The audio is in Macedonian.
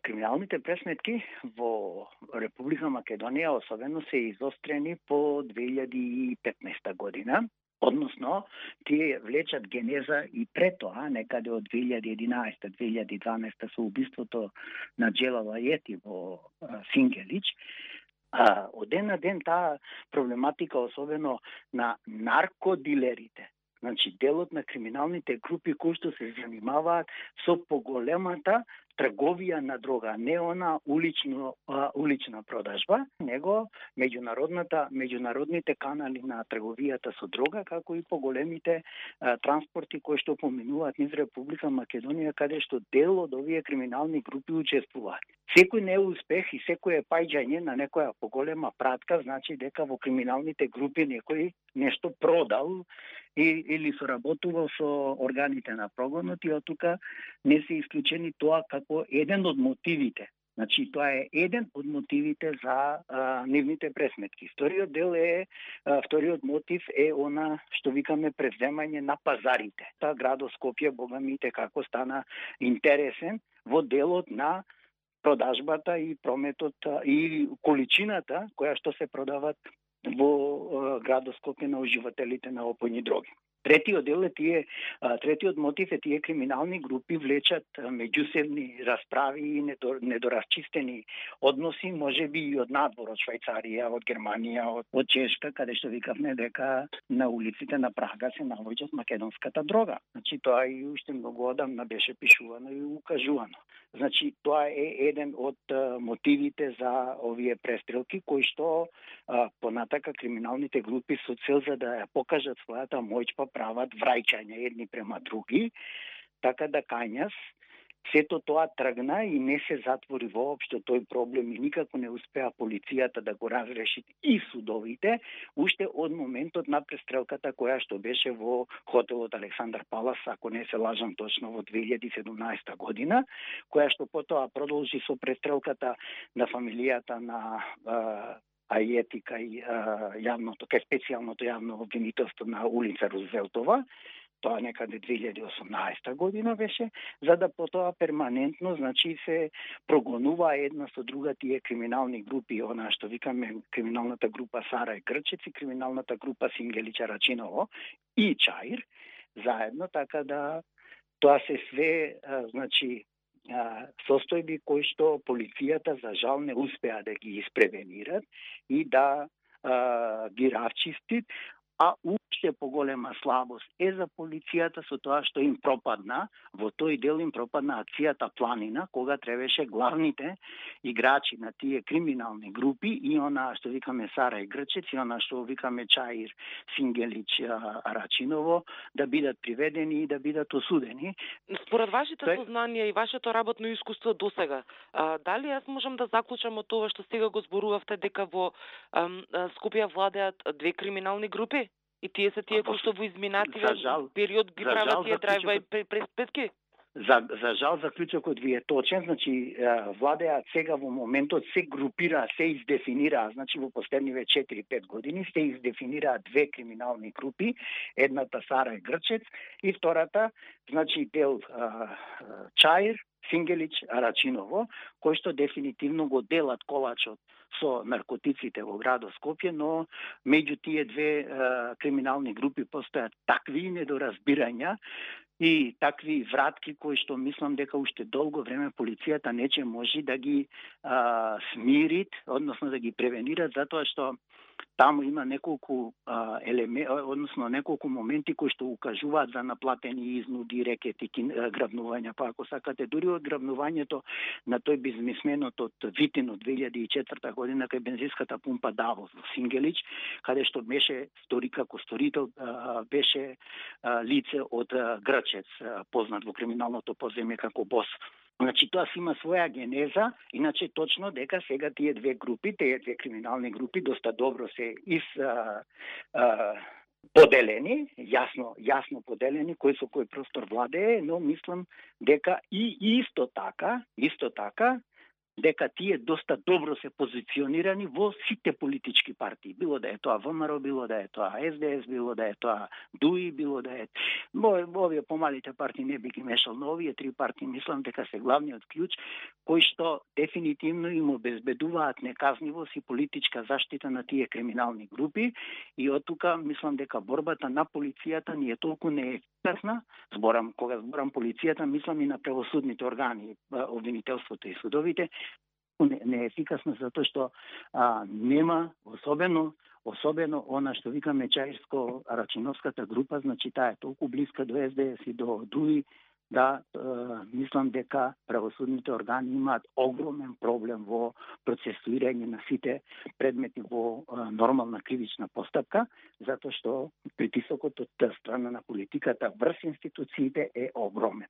Криминалните пресметки во Република Македонија особено се изострени по 2015 година. Односно, тие влечат генеза и пред тоа, некаде од 2011-2012 со убиството на Джелал Ајети во Сингелич. Од ден на ден таа проблематика, особено на наркодилерите, значи делот на криминалните групи кои што се занимаваат со поголемата трговија на дрога, не она улична продажба, него меѓународните канали на трговијата со дрога, како и поголемите транспорти кои што поминуваат низ Република Македонија, каде што дел од овие криминални групи учествуваат. Секој неуспех и секој паѓање на некоја поголема пратка значи дека во криминалните групи некој нешто продал или соработувал со органите на прогонот и од тука не се исклучени тоа како еден од мотивите. Значи, тоа е еден од мотивите за нивните пресметки. Вториот мотив е она што викаме преземање на пазарите. Таа градот Скопје, богамите, како стана интересен во делот на продажбата и прометот и количината која што се продават во градот Скопје на уживателите на опојни дроги. Третиот мотив е тие криминални групи влечат меѓусебни расправи и недорасчистени односи, можеби и од надвор, од Швајцарија, од Германија, од Чешка, каде што викавме дека на улиците на Прага се наоѓа македонската дрога. Значи тоа и уште многу одамна беше пишувано и укажувано. Значи тоа е еден од мотивите за овие престрелки кои што понатака криминалните групи со цел за да ја покажат својата моќ прават враќање едни према други, така да кањас сето тоа тргна и не се затвори воопшто тој проблем и никако не успеа полицијата да го разреши и судовите, уште од моментот на престрелката која што беше во хотелот Александар Палас, ако не се лажам точно во 2017 година, која што потоа продолжи со престрелката на фамилијата на Ајети кај специјалното јавно обвинителство на улица Рузвелтова, тоа некаде 2018 година беше, за да потоа перманентно, значи се прогонува една со друга тие криминални групи, она што викаме криминалната група Сара и Грчец и криминалната група Сингелич Арачиново и Чаир, заедно, така да тоа се све, значи, состојби кои што полицијата за жал не успеа да ги испревенират и да ги расчистит, а уште поголема слабост е за полицијата со тоа што им пропадна, во тој дел им пропадна акцијата Планина, кога требаше главните играчи на тие криминални групи и она што викаме Сара и Грчец и она што викаме Чаир, Сингелич, Арачиново, да бидат приведени и да бидат осудени. Според вашите сознанија и вашето работно искуство досега, дали јас можам да заклучам од тоа што сега го зборувавте дека во Скопје владеат две криминални групи? И тие се тие кои што во изминативен период ги прават тие драйв-бај пресметки? За жал, заклучокот ви е точен, значи владеат сега во моментот се групира, се издефинира, значи во последниве 4-5 години се издефинираат две криминални групи, едната Сара и Грчец и втората, значи дел Чаир, Сингелич, Арачиново, кои што дефинитивно го делат колачот со наркотиците во градот Скопје, но меѓу тие две криминални групи постојат такви недоразбирања и такви вратки кои што мислам дека уште долго време полицијата не ќе може да ги смирит, односно да ги превенират, затоа што таму има неколку неколку моменти кои што укажуваат за наплатени изнуди, рекети, грабнувања, па ако сакате дури од грабнувањето на тој бизнисменот од Витин од 2004 година кај бензинската пумпа Давос во Сингелич, каде што беше како сторител беше лице од Грчец, познат во криминалното подземје како Бос. Значи, тоа си има своја генеза, иначе точно дека сега тие две групи, тие две криминални групи, доста добро се поделени, јасно поделени, кој со кој простор владее, но мислам дека и исто така, дека тие доста добро се позиционирани во сите политички партии, било да е тоа ВМРО, било да е тоа СДС, било да е тоа ДУИ, било да е овие помалите партии не би ги мешал, но овие три партии мислам дека се главниот клjuč кои што дефинитивно им обезбедуваат неказнивост и политичка заштита на тие криминални групи и од тука мислам дека борбата на полицијата не е толку неефикасна. Кога зборам полицијата, мислам и на правосудните органи, обвинителството и судовите, не е ефикасно затоа што нема особено она што викаме Чаирско-Рачиновската група, значи таа е толку блиска до СДС и до ДУИ, да мислам дека правосудните органи имаат огромен проблем во процесуирање на сите предмети во нормална кривична постапка, затоа што притисокот од страна на политиката врз институциите е огромен.